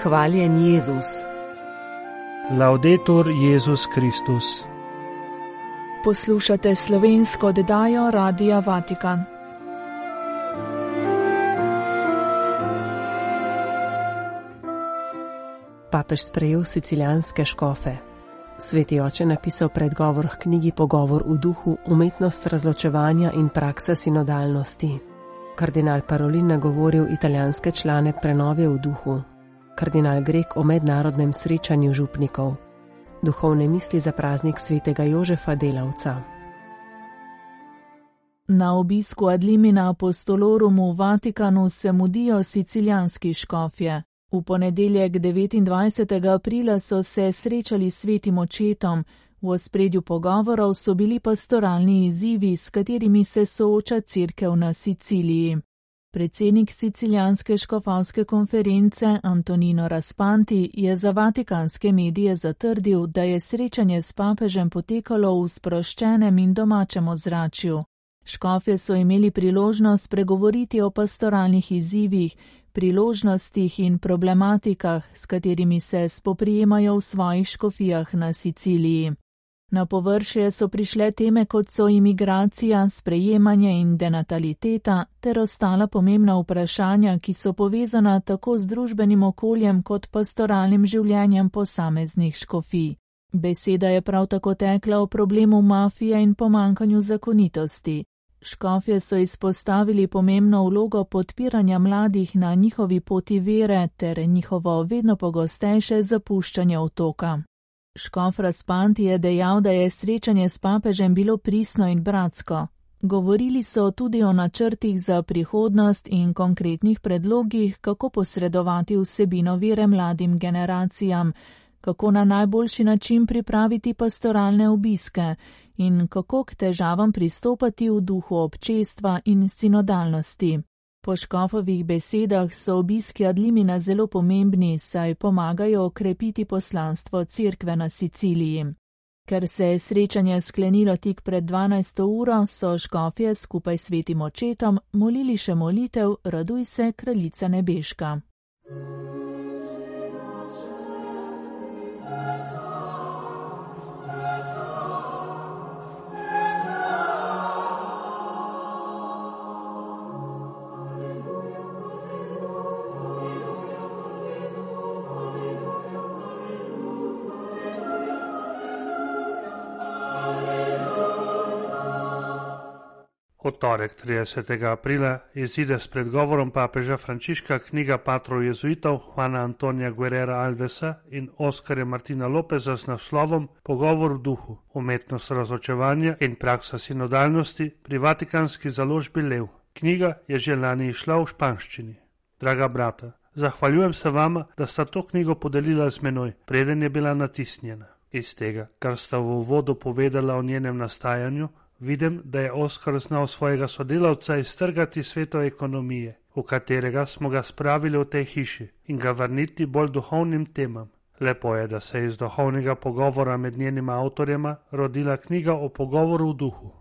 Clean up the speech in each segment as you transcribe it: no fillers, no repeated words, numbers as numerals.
Hvaljen Jezus. Laudetur Jezus Kristus. Poslušate slovensko oddajo Radia Vatikan. Papež sprejel sicilijanske škofe. Sveti oče napisal predgovor k knjigi Pogovor v duhu, umetnost razločevanja in praksa sinodalnosti. Kardinal Parolin nagovoril italijanske člane prenove v duhu. Kardinal Grek o mednarodnem srečanju župnikov. Duhovne misli za praznik svetega Jožefa Delavca. Na obisku ad limina apostolorum v Vatikanu se mudijo sicilijanski škofje. V ponedeljek 29. aprila so se srečali s svetim očetom. V ospredju pogovorov so bili pastoralni izzivi, s katerimi se sooča cerkev na Siciliji. Predsednik Sicilijanske škofovske konference Antonino Raspanti je za vatikanske medije zatrdil, da je srečanje s papežem potekalo v sproščenem in domačem ozračju. Škofje so imeli priložnost pregovoriti o pastoralnih izzivih, priložnostih in problematikah, s katerimi se spoprijemajo v svojih škofijah na Siciliji. Na površje so prišle teme, kot so imigracija, sprejemanje in denataliteta, ter ostala pomembna vprašanja, ki so povezana tako z družbenim okoljem kot pastoralnim življenjem posameznih škofij. Beseda je prav tako tekla o problemu mafije in pomanjkanju zakonitosti. Škofje so izpostavili pomembno vlogo podpiranja mladih na njihovi poti vere ter njihovo vedno pogostejše zapuščanje otoka. Škof Raspanti je dejal, da je srečanje s papežem bilo pristno in bratsko. Govorili so tudi o načrtih za prihodnost in konkretnih predlogih, kako posredovati vsebino vere mladim generacijam, kako na najboljši način pripraviti pastoralne obiske in kako k težavam pristopati v duhu občestva in sinodalnosti. Po škofovih besedah so obiski ad limina zelo pomembni, saj pomagajo okrepiti poslanstvo cerkve na Siciliji. Ker se je srečanje sklenilo tik pred 12. uro, so škofje skupaj s svetim očetom molili še molitev Raduj se, kraljica nebeška. V torek 30. aprila izide s predgovorom papeža Frančiška knjiga patrov jezuitov Juana Antonija Guerrera Alvesa in Oskarja Martina Lopeza z naslovom Pogovor v duhu, umetnost razločevanja in praksa sinodalnosti pri vatikanski založbi Lev. Knjiga je že lani išla v španščini. Draga brata, zahvaljujem se vama, da sta to knjigo podelila z menoj, preden je bila natisnjena. Iz tega, kar sta v uvodu povedala o njenem nastajanju, vidim, da je Oskar znal svojega sodelavca iztrgati sveto ekonomije, v katerega smo ga spravili v tej hiši, in ga vrniti bolj duhovnim temam. Lepo je, da se je iz duhovnega pogovora med njenima avtorjema rodila knjiga o pogovoru v duhu.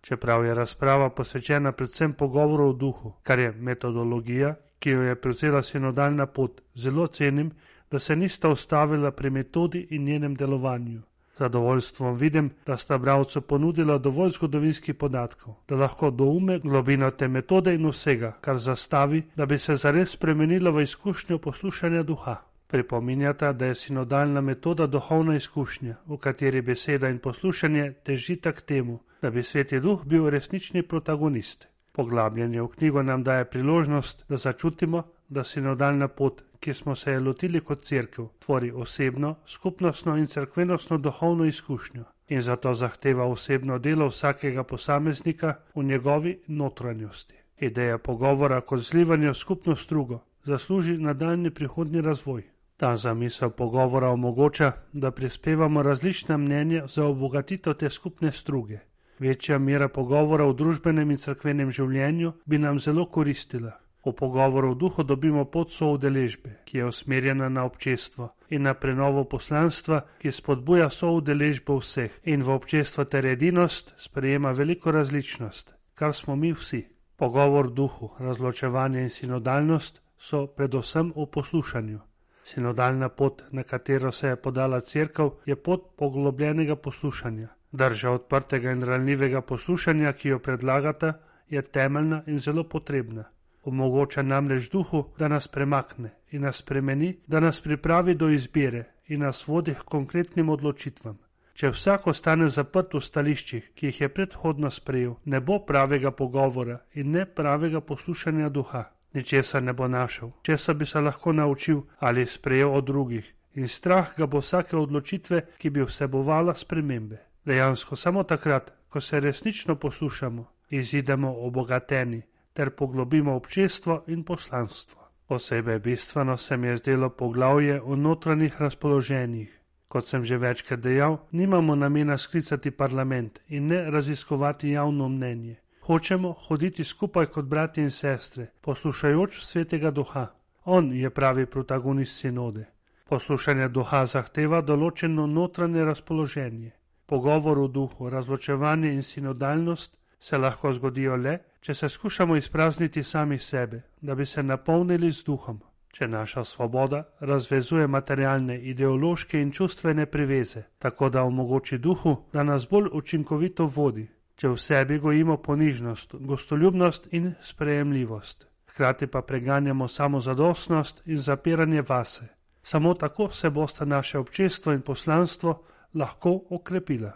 Čeprav je razprava posvečena predvsem pogovoru v duhu, kar je metodologija, ki jo je prevzela sinodalna pot, zelo cenim, da se nista ustavila pri metodi in njenem delovanju. Zadovoljstvom vidim, da sta bralcu ponudila dovolj zgodovinskih podatkov, da lahko doume globino te metode in vsega, kar zastavi, da bi se zares spremenila v izkušnjo poslušanja duha. Pripominjata, da je sinodalna metoda duhovna izkušnja, v kateri beseda in poslušanje težita k temu, da bi Sveti Duh bil resnični protagonist. Poglabljanje v knjigo nam daje priložnost, da začutimo, da sinodalna pot, ki smo se je lotili kot cerkev, tvori osebno, skupnostno in cerkvenostno duhovno izkušnjo in zato zahteva osebno delo vsakega posameznika v njegovi notranjosti. Ideja pogovora kot zlivanje v skupno strugo zasluži nadaljnji prihodnji razvoj. Ta zamisel pogovora omogoča, da prispevamo različna mnenja za obogatitev te skupne struge. Večja mera pogovora v družbenem in cerkvenem življenju bi nam zelo koristila. V pogovoru v duhu dobimo pot soudeležbe, ki je usmerjena na občestvo in na prenovo poslanstva, ki spodbuja soudeležbo vseh in v občestvo ter edinost sprejema veliko različnost, kar smo mi vsi. Pogovor v duhu, razločevanje in sinodalnost so predvsem v poslušanju. Sinodalna pot, na katero se je podala cerkev, je pot poglobljenega poslušanja. Drža odprtega in ranljivega poslušanja, ki jo predlagata, je temeljna in zelo potrebna. Omogoča namreč duhu, da nas premakne in nas spremeni, da nas pripravi do izbire in nas vodi k konkretnim odločitvam. Če vsak ostane zaprt v stališčih, ki jih je predhodno sprejel, ne bo pravega pogovora in ne pravega poslušanja duha. Ničesar ne bo našel, česa bi se lahko naučil ali sprejel od drugih, in strah ga bo vsake odločitve, ki bi vsebovala spremembe. Dejansko samo takrat, ko se resnično poslušamo, izidemo obogateni ter poglobimo občestvo in poslanstvo. Posebej bistveno se mi je zdelo poglavje o notranjih razpoloženjih. Kot sem že večkrat dejal, nimamo namena sklicati parlament in ne raziskovati javno mnenje. Hočemo hoditi skupaj kot bratje in sestre, poslušajoč svetega duha. On je pravi protagonist sinode. Poslušanje duha zahteva določeno notranje razpoloženje. Pogovor v duhu, razločevanje in sinodalnost se lahko zgodijo le, če se skušamo izprazniti sami sebe, da bi se napolnili z duhom. Če naša svoboda razvezuje materialne, ideološke in čustvene priveze, tako da omogoči duhu, da nas bolj učinkovito vodi, če v sebi gojimo ponižnost, gostoljubnost in sprejemljivost, hkrati pa preganjamo samozadostnost in zapiranje vase. Samo tako se bosta naše občestvo in poslanstvo lahko okrepila.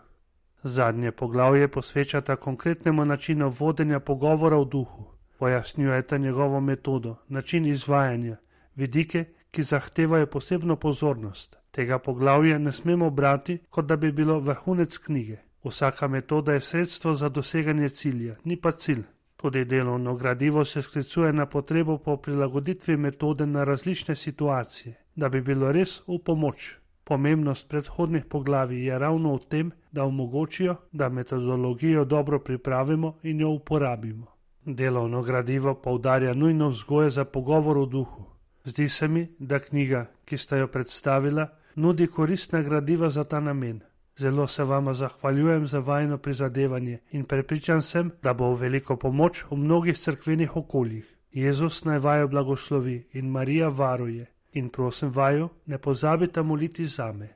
Zadnje poglavje posvečata konkretnemu načinu vodenja pogovora v duhu. Pojasnjujeta njegovo metodo, način izvajanja, vidike, ki zahtevajo posebno pozornost. Tega poglavja ne smemo brati, kot da bi bilo vrhunec knjige. Vsaka metoda je sredstvo za doseganje cilja, ni pa cilj. Tudi delovno gradivo se sklicuje na potrebo po prilagoditvi metode na različne situacije, da bi bilo res v pomoč. Pomembnost predhodnih poglavij je ravno v tem, da omogočijo, da metodologijo dobro pripravimo in jo uporabimo. Delovno gradivo poudarja nujno vzgoje za pogovor v duhu. Zdi se mi, da knjiga, ki sta jo predstavila, nudi koristna gradiva za ta namen. Zelo se vama zahvaljujem za vajino prizadevanje in prepričan sem, da bo v veliko pomoč v mnogih cerkvenih okoljih. Jezus naj vaju blagoslovi in Marija varuje. In prosim vaju, ne pozabite moliti zame.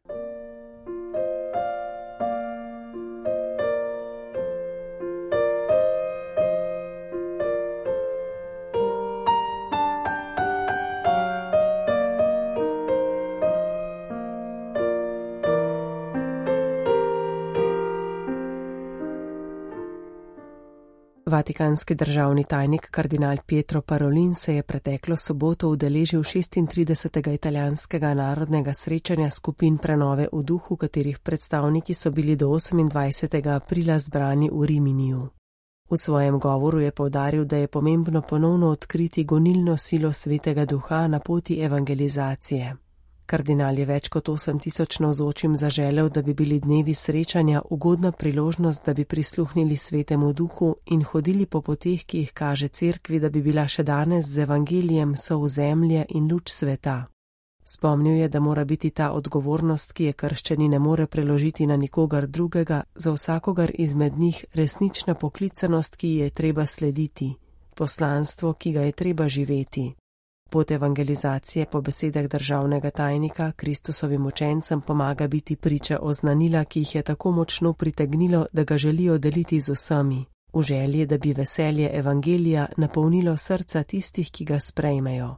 Vatikanski državni tajnik kardinal Pietro Parolin se je preteklo soboto udeležil 36. italijanskega narodnega srečanja skupin prenove v duhu, katerih predstavniki so bili do 28. aprila zbrani v Riminiju. V svojem govoru je poudaril, da je pomembno ponovno odkriti gonilno silo svetega duha na poti evangelizacije. Kardinal je več kot 8000 navzočim zaželel, da bi bili dnevi srečanja ugodna priložnost, da bi prisluhnili svetemu duhu in hodili po poteh, ki jih kaže cerkvi, da bi bila še danes z evangelijem sol zemlje in luč sveta. Spomnil je, da mora biti ta odgovornost, ki je krščani ne more preložiti na nikogar drugega, za vsakogar izmed njih resnična poklicanost, ki ji je treba slediti, poslanstvo, ki ga je treba živeti. Pot evangelizacije po besedah državnega tajnika Kristusovim učencem pomaga biti priča oznanila, ki jih je tako močno pritegnilo, da ga želijo deliti z vsemi, v želji, da bi veselje evangelija napolnilo srca tistih, ki ga sprejmejo.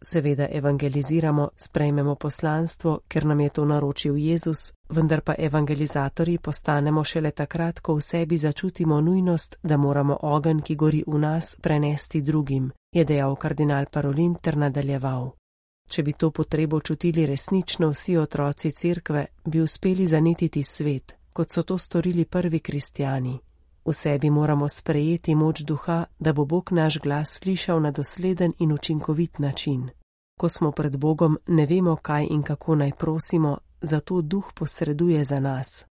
Seveda evangeliziramo, sprejmemo poslanstvo, ker nam je to naročil Jezus, vendar pa evangelizatorji postanemo šele takrat, ko v sebi začutimo nujnost, da moramo ogenj, ki gori v nas, prenesti drugim, je dejal kardinal Parolin ter nadaljeval. Če bi to potrebo čutili resnično vsi otroci cerkve, bi uspeli zanetiti svet, kot so to storili prvi kristjani. V sebi moramo sprejeti moč duha, da bo Bog naš glas slišal na dosleden in učinkovit način. Ko smo pred Bogom, ne vemo, kaj in kako naj prosimo, zato duh posreduje za nas.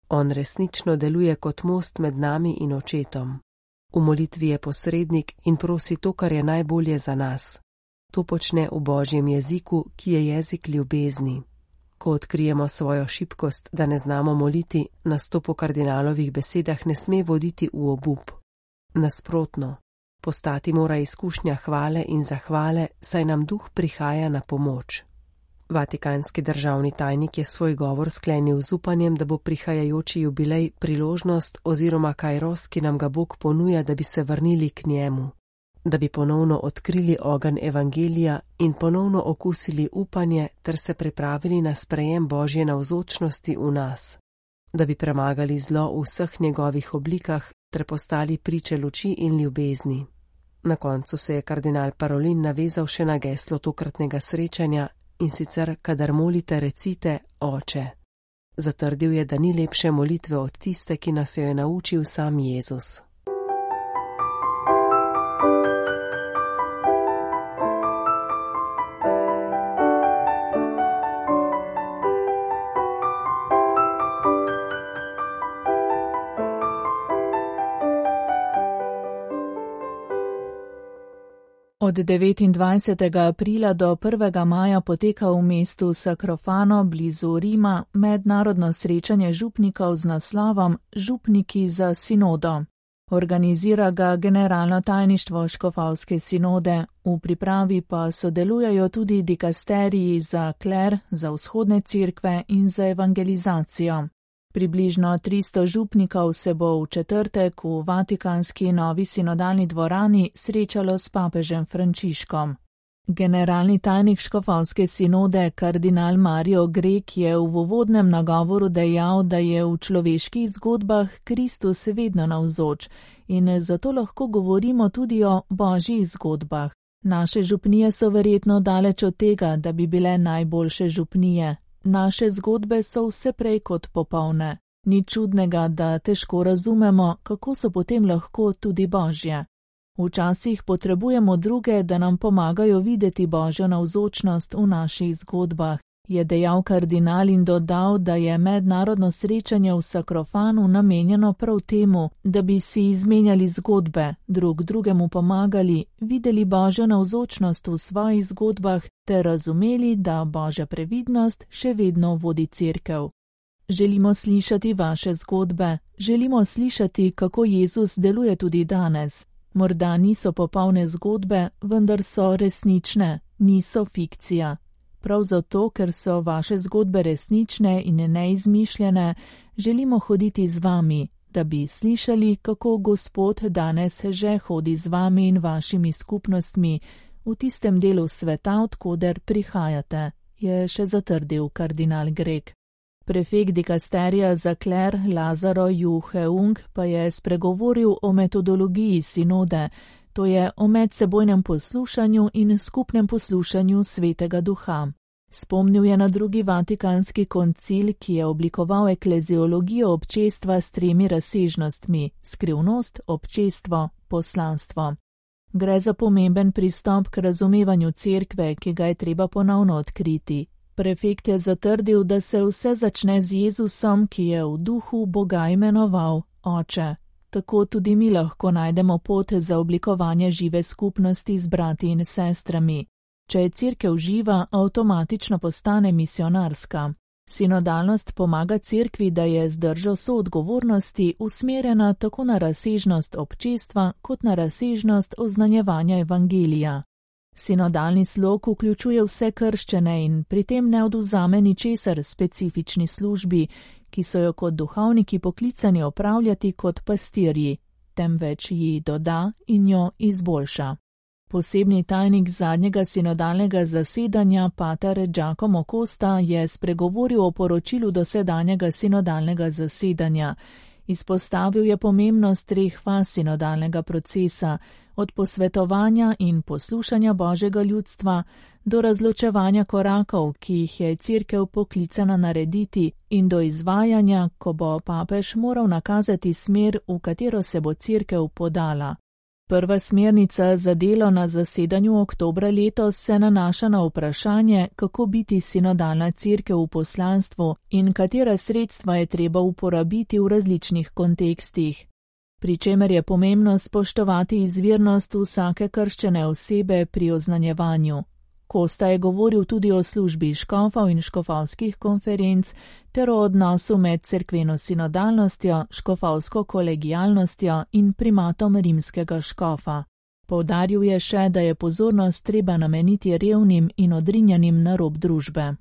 On resnično deluje kot most med nami in očetom. V molitvi je posrednik in prosi to, kar je najbolje za nas. To počne v Božjem jeziku, ki je jezik ljubezni. Ko odkrijemo svojo šibkost, da ne znamo moliti, nas to po kardinalovih besedah ne sme voditi v obup. Nasprotno, postati mora izkušnja hvale in zahvale, saj nam duh prihaja na pomoč. Vatikanski državni tajnik je svoj govor sklenil z upanjem, da bo prihajajoči jubilej priložnost oziroma kairos, ki nam ga Bog ponuja, da bi se vrnili k njemu, da bi ponovno odkrili ogenj evangelija in ponovno okusili upanje ter se pripravili na sprejem Božje navzočnosti v nas, da bi premagali zlo v vseh njegovih oblikah ter postali priče luči in ljubezni. Na koncu se je kardinal Parolin navezal še na geslo tokratnega srečanja, in sicer, kadar molite, recite Oče. Zatrdil je, da ni lepše molitve od tiste, ki nas jo je naučil sam Jezus. Od 29. aprila do 1. maja poteka v mestu Sacrofano blizu Rima mednarodno srečanje župnikov z naslovom Župniki za sinodo. Organizira ga Generalno tajništvo Škofovske sinode, v pripravi pa sodelujejo tudi dikasteriji za kler, za vzhodne cerkve in za evangelizacijo. Približno 300 župnikov se bo v četrtek v Vatikanski novi sinodalni dvorani srečalo s papežem Frančiškom. Generalni tajnik Škofovske sinode kardinal Mario Grek je v uvodnem nagovoru dejal, da je v človeških zgodbah Kristus vedno navzoč in zato lahko govorimo tudi o božjih zgodbah. Naše župnije so verjetno daleč od tega, da bi bile najboljše župnije. Naše zgodbe so vse prej kot popolne. Ni čudnega, da težko razumemo, kako so potem lahko tudi božje. Včasih potrebujemo druge, da nam pomagajo videti božjo navzočnost v naših zgodbah, je dejal kardinal in dodal, da je mednarodno srečanje v Sacrofanu namenjeno prav temu, da bi si izmenjali zgodbe, drug drugemu pomagali, videli božjo navzočnost v svojih zgodbah ter razumeli, da božja previdnost še vedno vodi cerkev. Želimo slišati vaše zgodbe, želimo slišati, kako Jezus deluje tudi danes. Morda niso popolne zgodbe, vendar so resnične, niso fikcija. Prav zato, ker so vaše zgodbe resnične in neizmišljene, želimo hoditi z vami, da bi slišali, kako Gospod danes že hodi z vami in vašimi skupnostmi v tistem delu sveta, odkoder prihajate, je še zatrdil kardinal Grek. Prefekt dikasterija za kler Lazaro Juheung pa je spregovoril o metodologiji sinode, to je o medsebojnem poslušanju in skupnem poslušanju Svetega Duha. Spomnil je na drugi Vatikanski koncil, ki je oblikoval ekleziologijo občestva s 3 razsežnostmi: skrivnost, občestvo, poslanstvo. Gre za pomemben pristop k razumevanju cerkve, ki ga je treba ponovno odkriti. Prefekt je zatrdil, da se vse začne z Jezusom, ki je v duhu Boga imenoval Oče. Tako tudi mi lahko najdemo pot za oblikovanje žive skupnosti z brati in sestrami. Če je cerkev živa, avtomatično postane misionarska. Sinodalnost pomaga cerkvi, da je z držo soodgovornosti usmerjena tako na razsežnost občestva kot na razsežnost oznanjevanja evangelija. Sinodalni slog vključuje vse krščene in pri tem ne odvzame ničesar specifični službi, ki so jo kot duhovniki poklicani opravljati kot pastirji, temveč ji doda in jo izboljša. Posebni tajnik zadnjega sinodalnega zasedanja, pater Giacomo Costa, je spregovoril o poročilu dosedanjega sinodalnega zasedanja. Izpostavil je pomembnost 3 faz sinodalnega procesa, od posvetovanja in poslušanja Božjega ljudstva do razločevanja korakov, ki jih je cerkev poklicana narediti, in do izvajanja, ko bo papež moral nakazati smer, v katero se bo cerkev podala. Prva smernica za delo na zasedanju oktobra letos se nanaša na vprašanje, kako biti sinodalna cerkev v poslanstvu in katera sredstva je treba uporabiti v različnih kontekstih. Pri čemer je pomembno spoštovati izvirnost vsake krščene osebe pri oznanjevanju. Costa je govoril tudi o službi škofov in škofovskih konferenc ter o odnosu med cerkveno sinodalnostjo, škofovsko kolegialnostjo in primatom rimskega škofa. Poudaril je še, da je pozornost treba nameniti revnim in odrinjenim na rob družbe.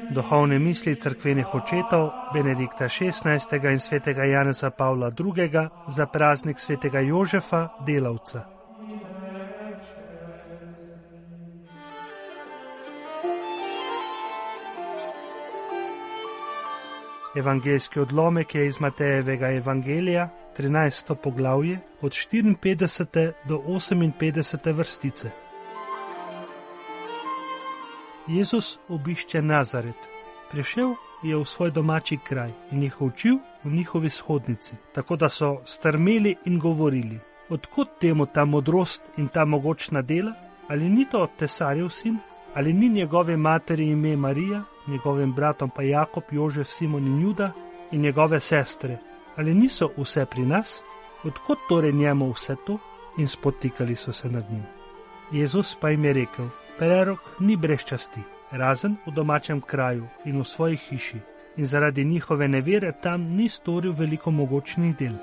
Duhovne misli cerkvenih očetov Benedikta XVI. In svetega Janeza Pavla II. Za praznik svetega Jožefa, delavca. Evangeljski odlomek je iz Matejevega evangelija, 13. poglavje, od 54. do 58. vrstice. Jezus obišče Nazaret. Prišel je v svoj domači kraj in jih učil v njihovi shodnici, tako da so strmeli in govorili: odkot temu ta modrost in ta mogočna dela? Ali ni to tesarjev sin? Ali ni njegove materi ime Marija, njegovim bratom pa Jakob, Jožef, Simon in Juda in njegove sestre? Ali niso vse pri nas? Odkot torej njemu vse to? In spotikali so se nad njim. Jezus pa jim je rekel: prerok ni brez časti, razen v domačem kraju in v svoji hiši, in zaradi njihove nevere tam ni storil veliko mogočnih del.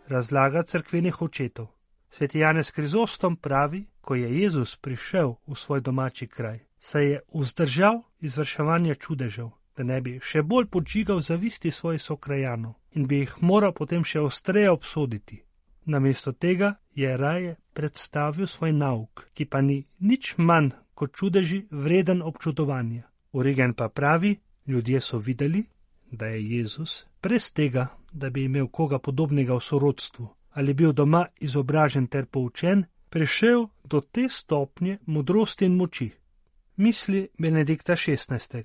Razlaga cerkvenih očetov. Sveti Janez Krizostom pravi, ko je Jezus prišel v svoj domači kraj, se je vzdržal izvrševanja čudežev, da ne bi še bolj podžigal zavisti svojih sokrajanov in bi jih moral potem še ostreje obsoditi. Namesto tega je raje predstavil svoj nauk, ki pa ni nič manj kot čudeži vreden občudovanja. Origen pa pravi, ljudje so videli, da je Jezus brez tega, da bi imel koga podobnega v sorodstvu ali bil doma izobražen ter poučen, prišel do te stopnje modrosti in moči. Misli Benedikta XVI.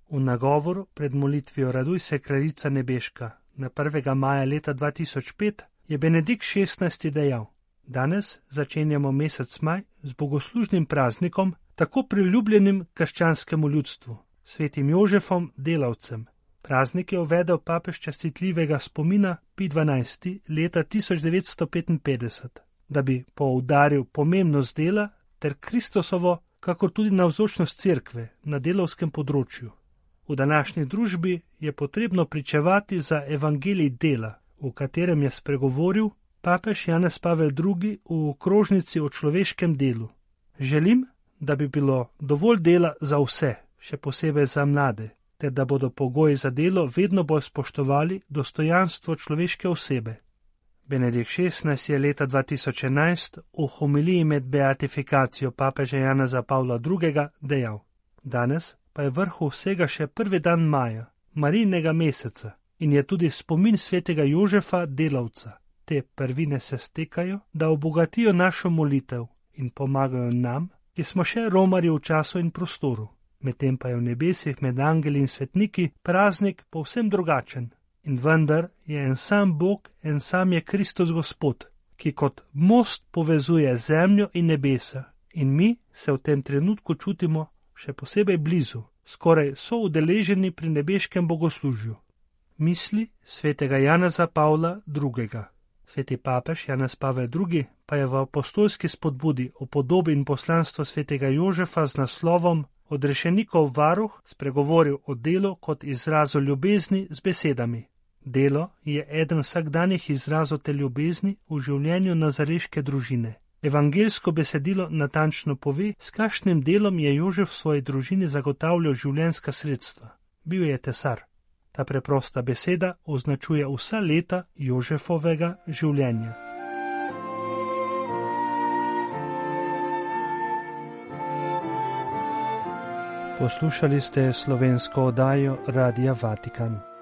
V nagovoru pred molitvijo Raduj se kraljica nebeška na 1. maja leta 2005 je Benedikt XVI. Dejal: danes začenjamo mesec maj z bogoslužnim praznikom, tako priljubljenim krščanskemu ljudstvu, svetim Jožefom, delavcem. Praznik je uvedel papež častitljivega spomina Pij XII. Leta 1955, da bi poudaril pomembnost dela ter Kristusovo, kakor tudi navzočnost cerkve na delavskem področju. V današnji družbi je potrebno pričevati za evangelij dela, v katerem je spregovoril papež Janez Pavel II. V okrožnici o človeškem delu. Želim, da bi bilo dovolj dela za vse, še posebej za mlade, ter da bodo pogoji za delo vedno bolj spoštovali dostojanstvo človeške osebe. Benedikt XVI. Je leta 2011 v homiliji med beatifikacijo papeža Janeza Pavla II. Dejal: danes pa je vrhu vsega še prvi dan maja, Marijinega meseca, in je tudi spomin svetega Jožefa, delavca. Te prvine se stekajo, da obogatijo našo molitev in pomagajo nam, ki smo še romarji v času in prostoru. Medtem pa je v nebesih med angeli in svetniki praznik povsem drugačen. In vendar je en sam Bog, en sam je Kristus Gospod, ki kot most povezuje zemljo in nebesa. In mi se v tem trenutku čutimo še posebej blizu, skoraj so udeleženi pri nebeškem bogoslužju. Misli svetega Janeza Pavla II. Sveti papež Janez Pavel II. Pa je v apostolski spodbudi o podobi in poslanstvu svetega Jožefa z naslovom Odrešenikov varuh spregovoril o delu kot izrazu ljubezni z besedami. Delo je eden vsakdanjih izrazov te ljubezni v življenju nazareške družine. Evangeljsko besedilo natančno pove, s kakšnim delom je Jožef v svoji družini zagotavljal življenjska sredstva. Bil je tesar. Ta preprosta beseda označuje vsa leta Jožefovega življenja. Poslušali ste slovensko oddajo Radia Vatikan.